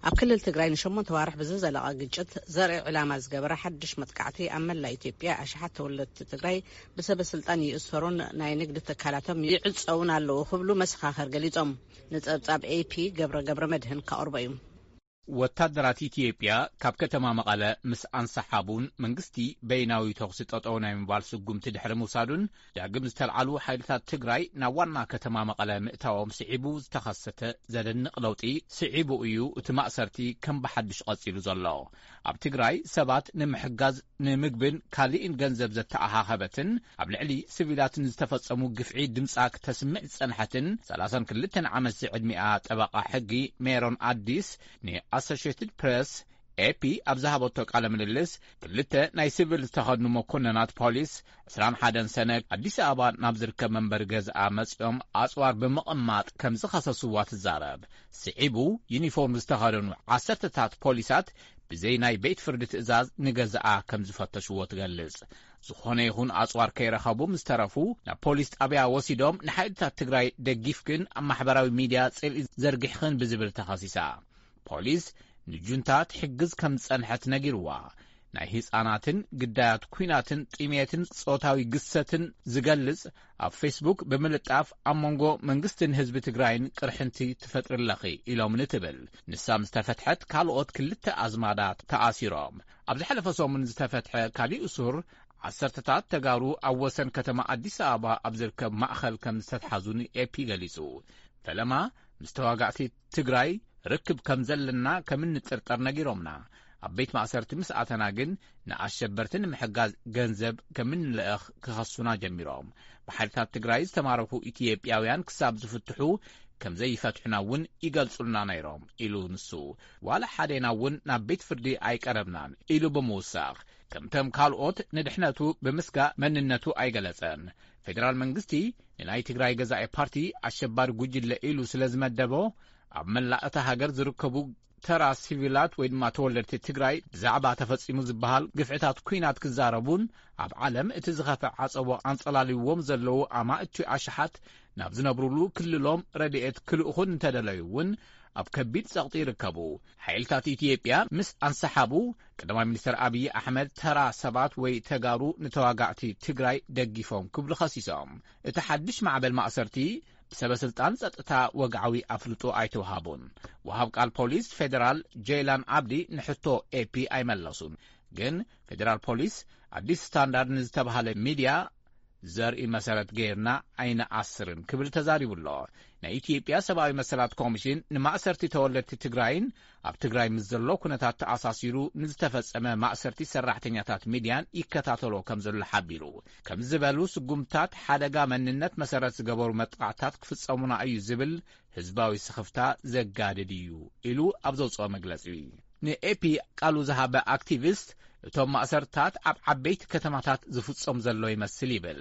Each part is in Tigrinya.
ኣብ ክልል ትግራይ ንሸሞንተ ዋርሕ ብዝዘለቐ ግጭት ዘርኢ ዕላማ ዝገበረ ሓድሽ መጥቃዕቲ ኣብ መላእ ኢትዮጵያ ኣሽሓት ተወለድቲ ትግራይ ብሰበ ስልጣን ይእሰሩን ናይ ንግዲ ትካላቶም ይዕጸውን ኣለዉ ክብሉ መሰኻኽር ገሊጾም። ንጸብጻብ ኤፒ ገብረ ገብረ መድህን ከቕርቦ እዩ። ወታደራት ኢትዮጵያ ካብ ከተማ መቐለ ምስ ኣንሰሓቡን መንግስቲ በይናዊ ተኹሲ ጠጠው ናይ ምባል ስጉምቲ ድሕሪ ምውሳዱን ዳግም ዝተልዓሉ ሓይልታት ትግራይ ናብ ዋና ከተማ መቐለ ምእታዎም ስዒቡ ዝተኸሰተ ዘደንቕ ለውጢ ስዒቡ እዩ እቲ ማእሰርቲ ከም ብሓድሽ ቀጺሉ ዘሎ። ኣብ ትግራይ ሰባት ንምሕጋዝ ንምግብን ካሊእን ገንዘብ ዘተኣኻኸበትን ኣብ ልዕሊ ስቪላት ንዝተፈጸሙ ግፍዒ ድምጻ ክተስምዕ ዝጸንሐትን ሰላሳን ክልተን ዓመት ዝዕድሚኣ ጠበቓ ሕጊ ሜሮን ኣዲስ ንኣሶሽትድ ፕሬስ ኤፒ ኣብ ዝሃበቶ ቃለ ምልልስ ክልተ ናይ ስቪል ዝተኸድኑ መኮንናት ፖሊስ ዕስራን ሓደን ሰነ ኣዲስ ኣበባ ናብ ዝርከብ መንበሪ ገዝኣ መጺኦም ኣጽዋር ብምቕማጥ ከም ዝኸሰስዋ ትዛረብ። ስዒቡ ዩኒፎርም ዝተኸደኑ ዓሰርተታት ፖሊሳት ብዘይ ናይ ቤት ፍርዲ ትእዛዝ ንገዛኣ ከም ዝፈተሽዎ ትገልጽ። ዝኾነ ይኹን ኣጽዋር ከይረኸቡ ምስ ተረፉ ናብ ፖሊስ ጣብያ ወሲዶም ንሓይልታት ትግራይ ደጊፍክን ኣብ ማሕበራዊ ሚድያ ጽልኢ ዘርጊሕኽን ብዝብል ተኸሲሳ። ፖሊስ ንጁንታ ትሕግዝ ከም ዝጸንሐት ነጊርዋ። ናይ ህጻናትን ግዳያት ኲናትን ጥሜትን ጾታዊ ግሰትን ዝገልጽ ኣብ ፌስቡክ ብምልጣፍ ኣብ መንጎ መንግስትን ህዝቢ ትግራይን ቅርሕንቲ ትፈጥሪ ኣለኺ ኢሎምኒ ትብል። ንሳ ምስ ተፈትሐት ካልኦት ክልተ ኣዝማዳ ተኣሲሮም። ኣብ ዝሓለፈ ሰሙን ዝተፈትሐ ካሊእ እሱር ዓሰርተታት ተጋሩ ኣብ ወሰን ከተማ ኣዲስ ኣበባ ኣብ ዝርከብ ማእኸል ከም ዝተትሓዙ ንኤፒ ገሊጹ። ፈለማ ምስ ተዋጋእቲ ትግራይ ርክብ ከም ዘለና ከም እንጥርጠር ነጊሮምና። ኣብ ቤት ማእሰርቲ ምስ ኣተና ግን ንኣሸበርቲ ንምሕጋዝ ገንዘብ ከም እንልእኽ ክኸሱና ጀሚሮም። ብሓይልታት ትግራይ ዝተማረኩ ኢትዮጵያውያን ክሳብ ዝፍትሑ ከም ዘይፈትሑና እውን ይገልጹልና ነይሮም ኢሉ ንሱ። ዋላ ሓዴና እውን ናብ ቤት ፍርዲ ኣይቀረብናን ኢሉ ብምውሳኽ ከምቶም ካልኦት ንድሕነቱ ብምስጋእ መንነቱ ኣይገለጸን። ፌደራል መንግስቲ ንናይ ትግራይ ገዛኢ ፓርቲ ኣሸባሪ ጉጅለ ኢሉ ስለ ዝመደቦ ኣብ መላእ እታ ሃገር ዝርከቡ ተራ ሲቪላት ወይ ድማ ተወለድቲ ትግራይ ብዛዕባ ተፈጺሙ ዝበሃል ግፍዕታት ኲናት ክዛረቡን ኣብ ዓለም እቲ ዝኸፍዐ ዓጸቦ ኣንጸላልይዎም ዘለዉ ኣማእቲ ኣሽሓት ናብ ዝነብሩሉ ክልሎም ረድኤት ክልእኹን እንተደለዩ እውን ኣብ ከቢድ ጸቕጢ ይርከቡ። ሓይልታት ኢትዮጵያ ምስ ኣንሰሓቡ ቀዳማይ ሚኒስትር ኣብይ ኣሕመድ ተራ ሰባት ወይ ተጋሩ ንተዋጋእቲ ትግራይ ደጊፎም ክብሉ ኸሲሶም። እቲ ሓድሽ ማዕበል ማእሰርቲ ብሰበ ስልጣን ጸጥታ ወግዓዊ ኣፍልጦ ኣይተውሃቡን። ወሃብ ቃል ፖሊስ ፌደራል ጀይላን ዓብዲ ንሕቶ ኤፒ ኣይመለሱን። ግን ፌደራል ፖሊስ ኣዲስ ስታንዳርድ ንዝተባሃለ ሚድያ ዘርኢ መሰረት ገይርና ኣይንኣስርን ክብል ተዛሪቡ ኣሎ። ናይ ኢትዮጵያ ሰብኣዊ መሰላት ኮሚሽን ንማእሰርቲ ተወለድቲ ትግራይን ኣብ ትግራይ ምስ ዘሎ ኩነታት ተኣሳሲሩ ንዝተፈጸመ ማእሰርቲ ሰራሕተኛታት ሚድያን ይከታተሎ ከም ዘሎ ሓቢሩ። ከም ዝበሉ ስጉምታት ሓደጋ መንነት መሰረት ዝገበሩ መጥቃዕታት ክፍጸሙና እዩ ዝብል ህዝባዊ ስኽፍታ ዘጋድድ እዩ ኢሉ ኣብ ዘውፅኦ መግለፂ። ንኤፒ ቃሉ ዝሃበ ኣክቲቪስት እቶም ማእሰርታት ኣብ ዓበይቲ ከተማታት ዝፍጸም ዘሎ ይመስል ይብል።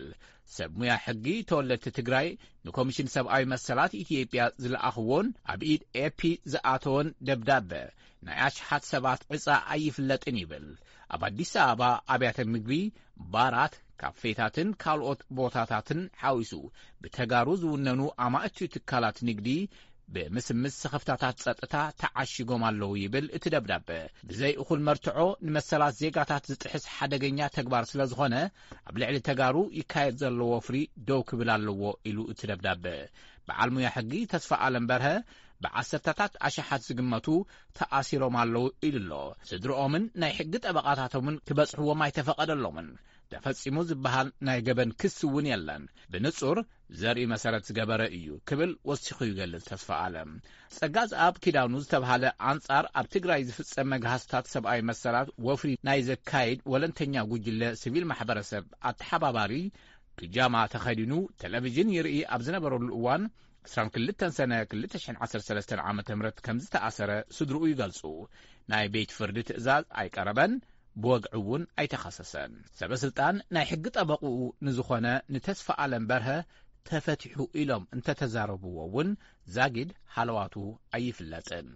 ሰብ ሙያ ሕጊ ተወለድቲ ትግራይ ንኮሚሽን ሰብኣዊ መሰላት ኢትዮጵያ ዝለኣኽዎን ኣብ ኢድ ኤፒ ዝኣተወን ደብዳበ ናይ ኣሽሓት ሰባት ዕፃ ኣይፍለጥን ይብል። ኣብ ኣዲስ ኣበባ ኣብያተ ምግቢ፣ ባራት፣ ካፌታትን ካልኦት ቦታታትን ሓዊሱ ብተጋሩ ዝውነኑ ኣማእቲ ትካላት ንግዲ ብምስምስ ስኽፍታታት ጸጥታ ተዓሺጎም ኣለዉ ይብል እቲ ደብዳበ። ብዘይ እኹል መርትዖ ንመሰላት ዜጋታት ዝጥሕስ ሓደገኛ ተግባር ስለ ዝኾነ ኣብ ልዕሊ ተጋሩ ይካየድ ዘሎ ወፍሪ ደው ክብል ኣለዎ ኢሉ እቲ ደብዳበ። በዓል ሙያ ሕጊ ተስፋ ኣለም በርሀ ብዓሰርተታት ኣሽሓት ዝግመቱ ተኣሲሮም ኣለዉ ኢሉ ኣሎ። ስድርኦምን ናይ ሕጊ ጠበቓታቶምን ክበጽሕዎም ኣይተፈቐደሎምን። ተፈጺሙ ዝበሃል ናይ ገበን ክሲ እውን የለን። ብንጹር ዘርኢ መሰረት ዝገበረ እዩ ክብል ወሲኹ ይገልጽ ተስፋ ኣለም። ጸጋዝኣብ ኪዳኑ ዝተባሃለ ኣንጻር ኣብ ትግራይ ዝፍጸም መግሃስታት ሰብኣዊ መሰላት ወፍሪ ናይ ዘካይድ ወለንተኛ ጉጅለ ሲቪል ማሕበረሰብ ኣተሓባባሪ ፒጃማ ተኸዲኑ ቴሌቪዥን ይርኢ ኣብ ዝነበረሉ እዋን ዕስራን ክልተን ሰነ ክልተ ሽሕን ዓሰርተ ሰለስተን ዓመተ ምህረት ከም ዝተኣሰረ ስድርኡ ይገልጹ። ናይ ቤት ፍርዲ ትእዛዝ ኣይቀረበን፣ ብወግዒ እውን ኣይተኸሰሰን። ሰበ ስልጣን ናይ ሕጊ ጠበቕኡ ንዝኾነ ንተስፋ ኣለም በርሀ ተፈቲሑ ኢሎም እንተተዛረብዎ እውን ዛጊድ ሃለዋቱ ኣይፍለጥን።